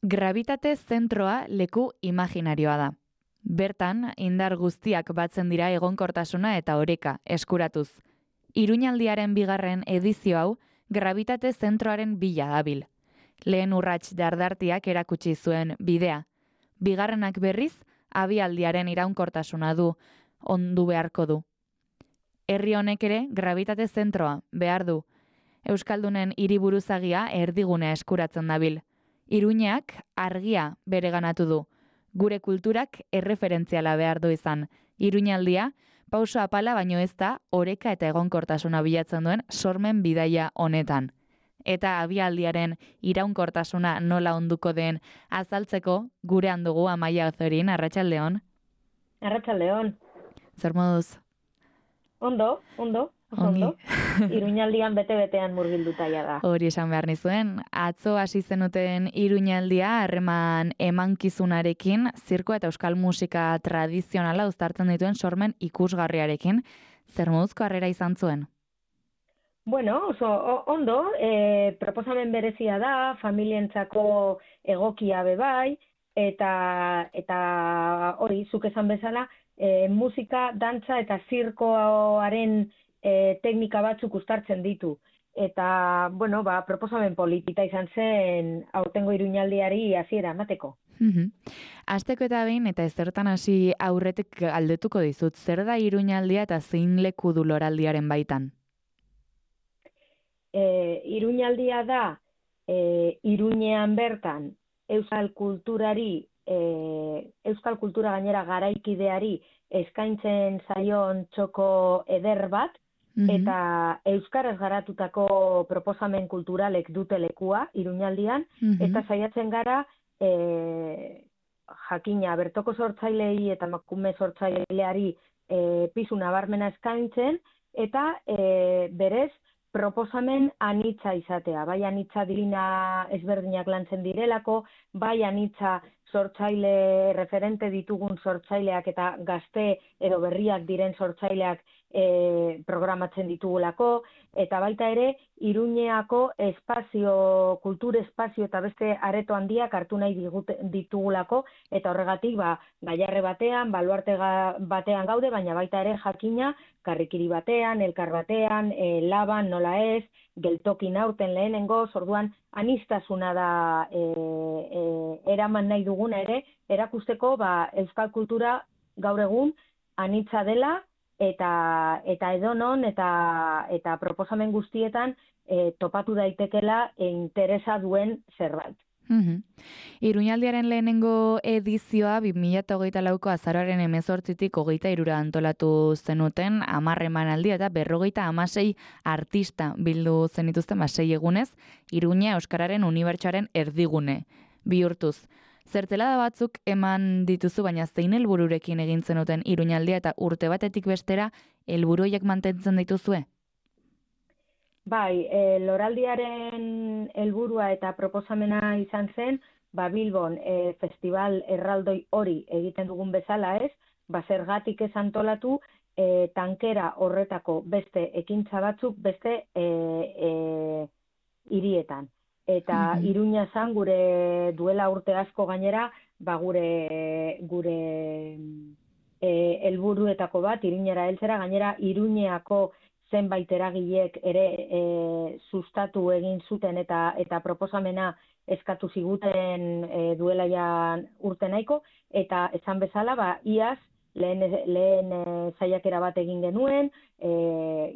Grabitate zentroa leku imaginarioa da. Bertan, indar guztiak batzen dira egonkortasuna eta oreka eskuratuz. Iruñaldiaren bigarren edizio hau, grabitate zentroaren bila dabil. Lehen urrats dardartiak erakutsi zuen bidea. Bigarrenak berriz, abialdiaren iraunkortasuna du, ondu beharko du. Herri honek ere, grabitate zentroa behar du. Euskaldunen hiriburuzagia erdigunea eskuratzen dabil. Iruñeak argia bereganatu du. Gure kulturak erreferentziala behar du izan. Iruñaldia, pauso apala baino ez da, oreka eta egonkortasuna bilatzen duen sormen bidaia honetan. Eta abialdiaren iraunkortasuna nola onduko den azaltzeko gurean dugu Amaia Ozorin, arratsaldeon. Arratsaldeon. Zer moduz? Ondo. Ongi. Iruñaldian bete-betean murgilduta da. Hori esan behar nizuen. Atzo hasi zenuten Iruñaldia harreman emankizunarekin, zirkoa eta euskal musika tradizionala uztartzen dituen sormen ikusgarriarekin. Zer moduzko harrera izan zuen? Bueno, oso ondo, proposamen berezia da, familientzako egokia bebai, eta hori, zuk esan bezala, musika, dantza eta zirkoaren teknika batzuk uztartzen ditu. Eta, bueno, proposamen polita izan zen aurtengo Iruñaldiari hasiera emateko. Hasteko eta behin, eta ezertan hasi aurretik galdetuko dizut, zer da Iruñaldia eta zein leku du loraldiaren baitan? Iruñaldia da, Iruñean bertan, euskal kultura gainera garaikideari eskaintzen zaion txoko eder bat, eta euskaraz garatutako proposamen kulturalek dute lekua Iruñaldian, eta saiatzen gara jakina bertoko sortzailei eta emakume sortzaileari pisu nabarmena eskaintzen, eta berez proposamen anitza izatea, bai anitza dirina ezberdinak lantzen direlako, bai anitza sortzaile referente ditugun sortzaileak eta gazte edo berriak diren sortzaileak programatzen ditugulako, eta baita ere Iruñeako espazio, kultur espazio eta beste areto handiak hartu nahi ditugulako, eta horregatik Gaiarre batean, Baluarte batean gaude, baina baita ere jakina Karrikiri batean, Elkar batean, Laban, nola ez, Geltokin aurten lehenengo, orduan aniztasuna da eraman nahi duguna ere, erakusteko euskal kultura gaur egun anitza dela, eta edonon eta proposamen guztietan topatu daitekela interesa duen zerbait. Iruñaldiaren lehenengo edizioa 2024ko azaroaren 18tik 23 antolatu zenuten 10 emanaldi eta 56 artista bildu zenituzten 6 egunez, Iruña euskararen unibertsoaren erdigune bihurtuz. Zertzelada batzuk eman dituzu, baina zein helbururekin egin zenuten Iruñaldia eta urte batetik bestera helburu horiek mantentzen dituzue? Bai, loraldiaren helburua eta proposamena izan zen, Bilbon festival erraldoi hori egiten dugun bezala ez, zergatik ez antolatu tankera horretako beste ekintza batzuk beste hirietan. Eta Iruña zan gure duela urte asko gainera, gure helburuetako bat Iruñera heltzera, gainera Iruñeako zenbait eragilek ere sustatu egin zuten eta proposamena eskatu ziguten duela urte nahiko, eta esan bezala, iaz lehen saiakera bat egin genuen,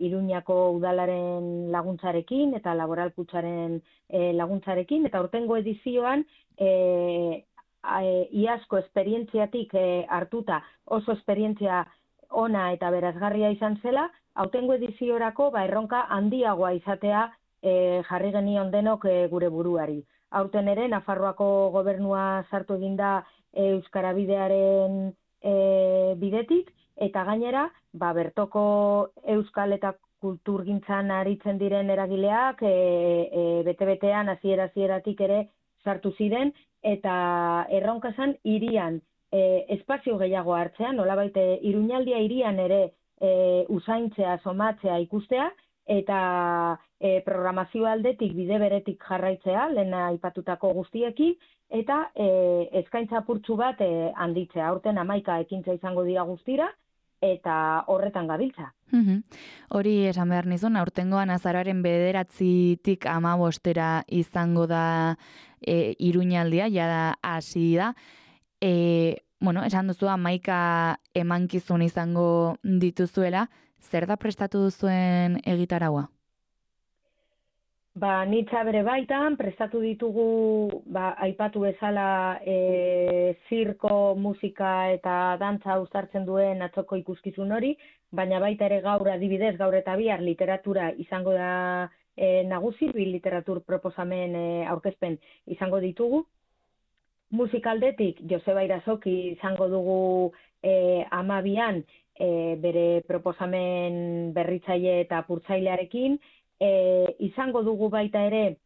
Iruñako udalaren laguntzarekin eta laboral kutxaren laguntzarekin, eta aurtengo edizioan iazko esperientziatik hartuta oso esperientzia ona eta berazgarria izan zela, aurtengo ediziorako erronka handiagoa izatea jarri genion denok gure buruari. Aurten ere, Nafarroako gobernua sartu eginda Euskara Bidearen bidetik, eta gainera, bertoko euskal eta kulturgintzan aritzen diren eragileak bete-betean hasieratik ere sartu ziren, eta erronka zen hirian espazio gehiago hartzea, nolabait Iruñaldia hirian ere usaintzea, somatzea, ikustea, eta programazio aldetik bide beretik jarraitzea, lehen aipatutako guztiekin, eta eskaintza apurtxu bat handitzea. Aurten 11 ekintza izango dira guztira, eta horretan gabiltza. Hori esan behar nizun, aurtengoan azaroaren 9-tik 15 izango da Iruñaldia, jada hasi da. Esan duzu 11 emankizun izango dituzuela, zer da prestatu duzuen egitaragua? Nitza bere baitan, prestatu ditugu, aipatu bezala zirko, musika eta dantza uztartzen duen atzoko ikuskizun hori, baina baita ere gaur adibidez, gaur eta bihar literatura izango da nagusi, bi literatur proposamen aurkezpen izango ditugu. Musikaldetik, Joseba Irazoki izango dugu 12an bere proposamen berritzaile eta apurtzailearekin, izango dugu baita ere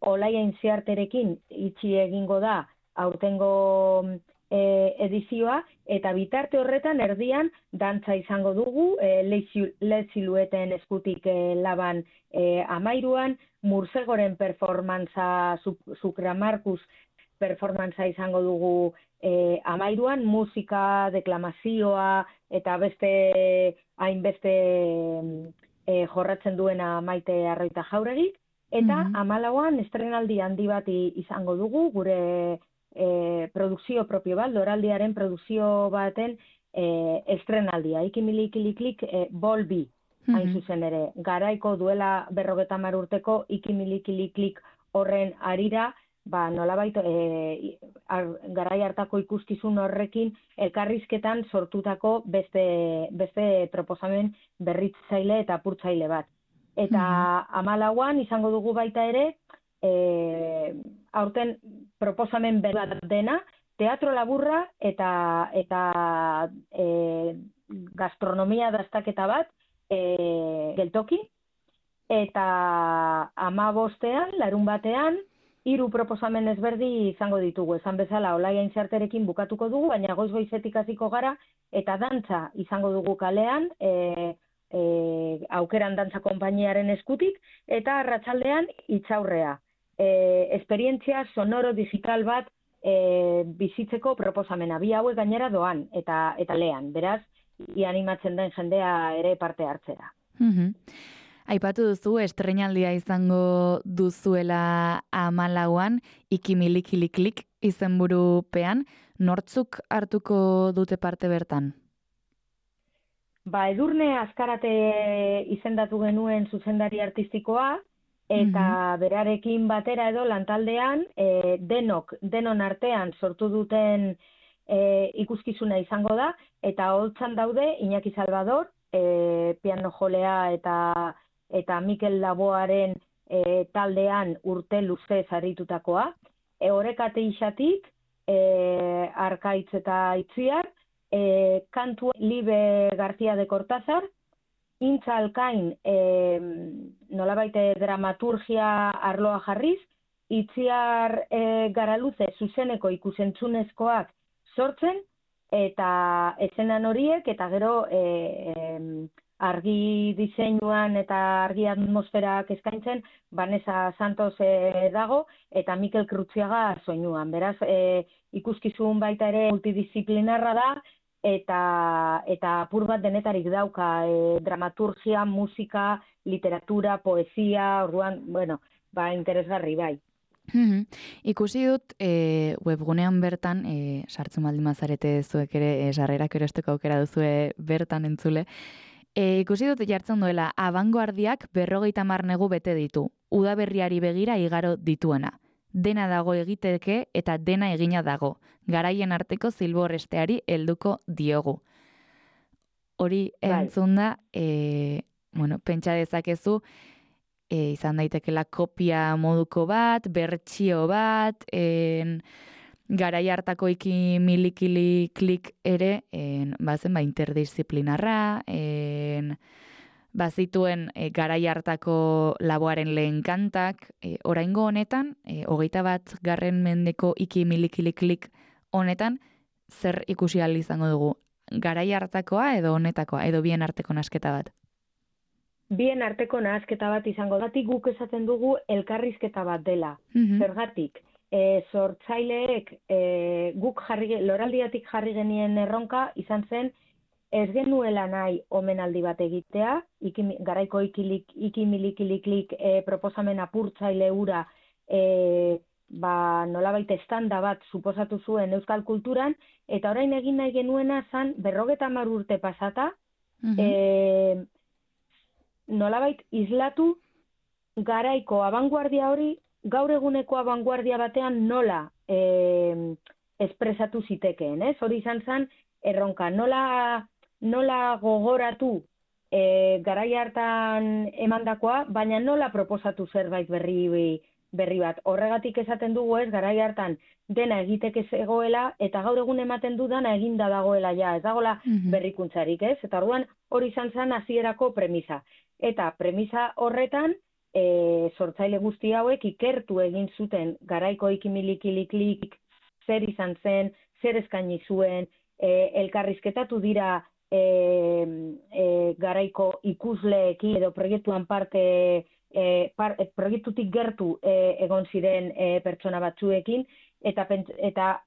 Olaia Intziarterekin itxi egingo da aurtengo edizioa, eta bitarte horretan erdian dantza izango dugu, Le Silueten eskutik laban 13an, Mursegoren performantza, Sukramarkus performantza izango dugu 13an, musika, deklamazioa eta beste hainbeste jorratzen duena Maite Arroita Jauregik, eta 14an estrenaldi handi bat izango dugu, gure produkzio propio bat, Loraldiaren produkzio baten estrenaldia, Ikimilikiklik Bolbi, hain zuzen ere, garaiko duela 50 urteko Ikimilikiklik horren arira, nolabait garai hartako ikuskizun horrekin elkarrizketan sortutako beste proposamen berritzaile eta apurtzaile bat. Eta 14an izango dugu baita ere, aurten proposamen bat dena, teatro laburra eta gastronomia dastaketa bat geltoki, eta 15ean, larunbatean, 3 proposamen ezberdi izango ditugu. Esan bezala, Olaia Intziarterekin bukatuko dugu, baina goiz-goizetik hasiko gara, eta dantza izango dugu kalean, Aukeran Dantza Konpainiaren eskutik, eta arratsaldean Itxaurrea. Esperientzia sonoro digital bat bizitzeko proposamena. Bi hauek gainera doan, eta lehan. Beraz, animatzen den jendea ere parte hartzera. Aipatu duzu, estreinaldia izango duzuela 14an, Ikimilikiklik izenburupean, nortzuk hartuko dute parte bertan? Edurne Azkarate izendatu genuen zuzendari artistikoa, eta berarekin batera edo lantaldean, denon artean sortu duten ikuskizuna izango da, eta holtzan daude Iñaki Salvador, piano jolea eta Mikel Laboaren taldean urte luze zaritutakoa, Orekate Ixatik, Arkaitz eta Itziar, kantu Libe García de Cortázar, Intza Alkain nolabait dramaturgia arloa jarriz, Itziar Garaluze zuzeneko ikusentzunezkoak sortzen, eta eszenan horiek, eta gero argi diseinuan eta argi atmosferak eskaintzen, Vanessa Santos dago, eta Mikel Krutziaga soinuan. Beraz, ikuskizun baita ere multidisciplinarra da, eta apur bat denetarik dauka, dramaturgia, musika, literatura, poesia, orduan, interesgarri bai. Ikusi dut webgunean bertan, sartzen baldin mazarete zuek ere, sarrerak erosteko aukera duzue bertan entzule, ikusi dut jartzen duela, abangoardiak 50 negu bete ditu, udaberriari begira igaro dituena. Dena dago egiteke eta dena egina dago. Garaien arteko zilborresteari helduko diogu. Hori entzun da, pentsa dezakezu, izan daitekela kopia moduko bat, bertsio bat, garai hartako Ikimilikiklik ere, bazen interdisciplinarra, bazituen garai hartako Laboaren lehen kantak, oraingo honetan, 21. mendeko Ikimilikiklik honetan, zer ikusi ahal izango dugu? Garai hartakoa edo honetakoa, edo bien arteko nasketa bat? bien arteko nahasketa bat izango datik guk esaten dugu elkarrizketa bat dela. Zergatik, sortzaileek guk loraldiatik jarri genien erronka izan zen ez genuela nahi omenaldi bat egitea, garaiko ikimilikiliklik proposamen apurtzaile hura nolabait estanda bat suposatu zuen euskal kulturan, eta orain egin nahi genuena zan 50 urte pasata, nolabait islatu garaiko abanguardia hori gaur eguneko abanguardia batean nola espresatu zitekeen, ez? Hori izan zen erronka, nola gogoratu garai hartan emandakoa, baina nola proposatu zerbait berri bat. Horregatik esaten dugu ez, garai hartan dena egiteke zegoela, eta gaur egun ematen dudana eginda dagoela ja, ez dagoela berrikuntzarik, ez? Eta orduan hori izan zen hasierako premisa. Eta premisa horretan, sortzaile guzti hauek ikertu egin zuten garaiko ikimilikiliklik zer izan zen, zer eskaini zuen, elkarrizketatu dira garaiko ikusleekin edo proiektuan proiektutik gertu egon ziren pertsona batzuekin, eta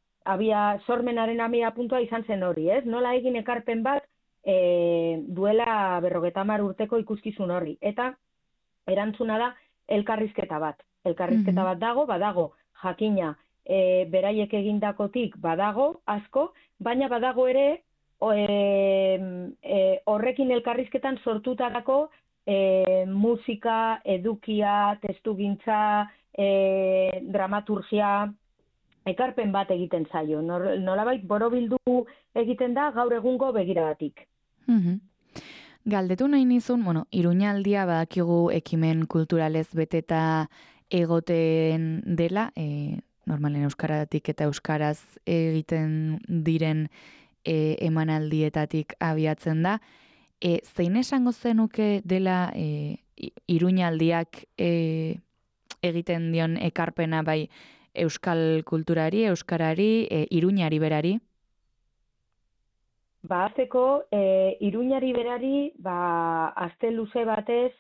sormenaren abia puntua izan zen hori, ez? Nola egin ekarpen bat duela 50 urteko ikuskizun horri. Eta erantzuna da elkarrizketa bat. Elkarrizketa bat badago jakina beraiek egindakotik badago asko, baina badago ere horrekin elkarrizketan sortutako musika, edukia, testugintza, dramaturgia, ekarpen bat egiten zaio. Nolabait borobildu egiten da gaur egungo begiradatik. Galdetu nahi nizun, Iruñaldia badakigu ekimen kulturalez beteta egoten dela, normalen euskaratik eta euskaraz egiten diren emanaldietatik abiatzen da. Zein esango zenuke dela Iruñaldiak egiten dion ekarpena bai euskal kulturari, euskarari, Iruñari berari? Azteko, Iruñari berari, aste luze batez,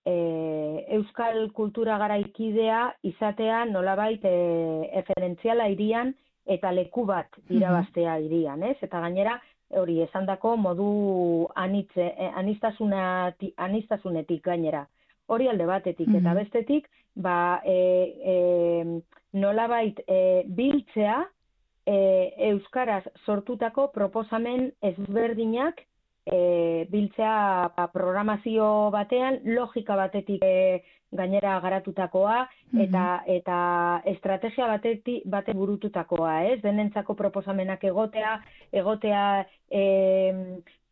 euskal kultura garaikidea izatea nolabait referentziala hirian eta leku bat irabaztea hirian, ez? Eta gainera, hori esandako modu aniztasunetik gainera. Hori alde batetik, eta bestetik, nolabait biltzea euskaraz sortutako proposamen ezberdinak biltzea programazio batean, logika batetik gainera garatutakoa, eta estrategia bate burututakoa, ez? Denentzako proposamenak egotea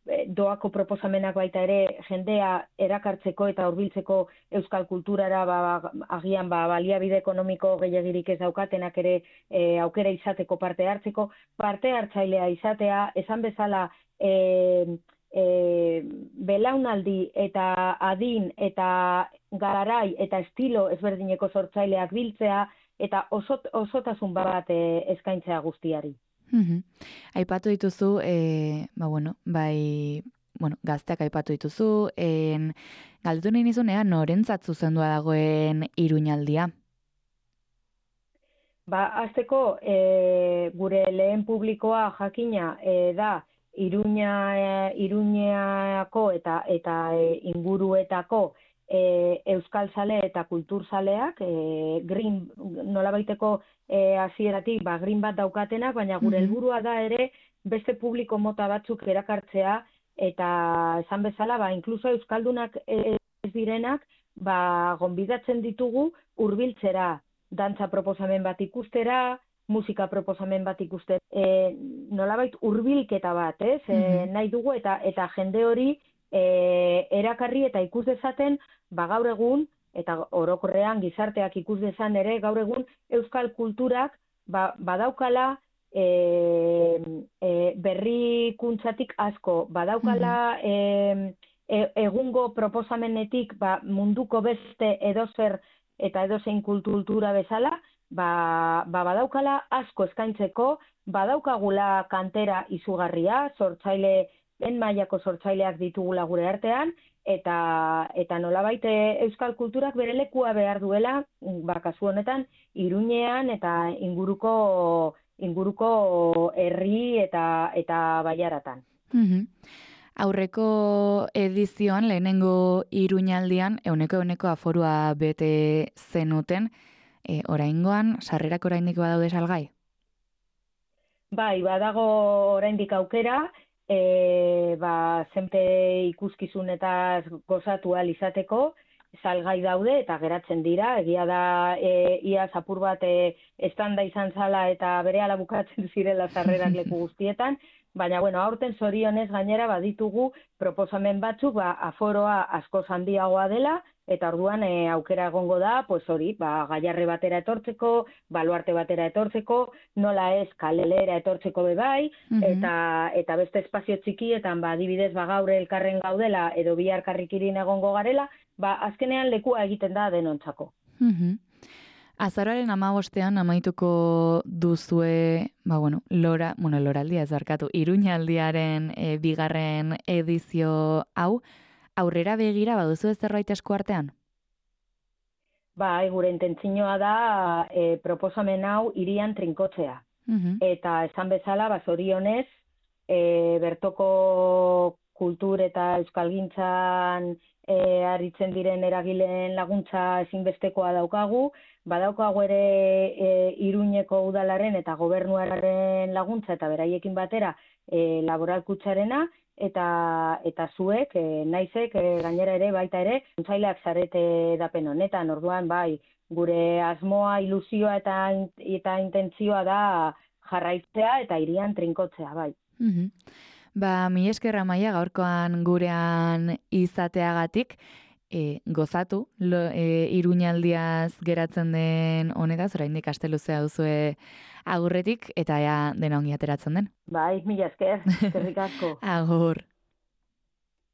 doako proposamenak baita ere jendea erakartzeko eta hurbiltzeko euskal kulturara agian baliabide ekonomiko gehiegirik ez daukatenak ere aukera izateko parte hartzailea izatea, esan bezala belaunaldi eta adin eta garai eta estilo ezberdineko sortzaileak biltzea eta osotasun bat eskaintzea guztiari. Aipatu dituzu, gazteak aipatu dituzu, galdetu nahi nizunea, norentzat zuzendua dagoen Iruñaldia? Azteko, gure lehen publikoa jakina da Iruñako eta inguruetako euskalzale eta kulturzaleak, nolabaiteko hasieratik green bat daukatenak, baina gure helburua da ere beste publiko mota batzuk erakartzea, eta esan bezala, inkluso euskaldunak ez direnak, gonbidatzen ditugu hurbiltzera, dantza proposamen bat ikustera, musika proposamen bat ikustera, nolabait hurbilketa bat, ez? Nahi dugu eta jende hori erakarri eta ikus dezaten, gaur egun, eta orokorrean gizarteak ikus dezan ere, gaur egun euskal kulturak badaukala berrikuntzatik asko, badaukala egungo proposamenetik munduko beste edozer eta edozein kultura bezala, badaukala asko eskaintzeko, badaukagula kantera izugarria, sortzaile lehen mailako sortzaileak ditugula gure artean, eta nolabait euskal kulturak bere lekua behar duela, kasu honetan, Iruñean eta inguruko herri eta baiaratan. Aurreko edizioan, lehenengo Iruñaldian, 100% aforua bete zenuten, oraingoan, sarrerak oraindik badaude salgai? Bai, badago oraindik aukera, zenpe ikuskizunetaz gozatu ahal izateko, salgai daude eta geratzen dira, egia da iaz apur bat estanda izan zala eta berehala bukatzen zirela sarrerak leku guztietan, baina aurten zorionez gainera baditugu proposamen batzuk aforoa askoz handiagoa dela, eta orduan aukera egongo da, Gaiarre batera etortzeko, Baluarte batera etortzeko, nola ez Kalelera etortzeko bebai, eta beste espazio txikietan, adibidez, gaur elkarren gaudela, edo bihar Karrikirin egongo garela, azkenean lekua egiten da denontzako. Azaroaren 15ean amaituko duzue, loraldia ez barkatu, Iruñaldiaren bigarren edizio hau, aurrera begira baduzu ez zerbait esku artean? Gure intentzioa da proposamen hau hirian trinkotzea. Eta esan bezala, zorionez, bertoko kultur eta euskalgintzan aritzen diren eragileen laguntza ezinbestekoa daukagu, badaukagu ere Iruñeko udalaren eta gobernuaren laguntza eta beraiekin batera laboralkutsarena, eta zuek, naizek, gainera ere, baita ere, kontzaileak zarete dapen honetan, orduan, gure asmoa, ilusioa eta intentzioa da jarraitzea eta hirian trinkotzea, bai. Mila esker Amaia gaurkoan gurean izateagatik, gozatu, Iruñaldiaz geratzen den honetaz, oraindik aste luzea duzue agurretik, eta ea dena ongi ateratzen den. Mila esker, eskerrik asko. Agur.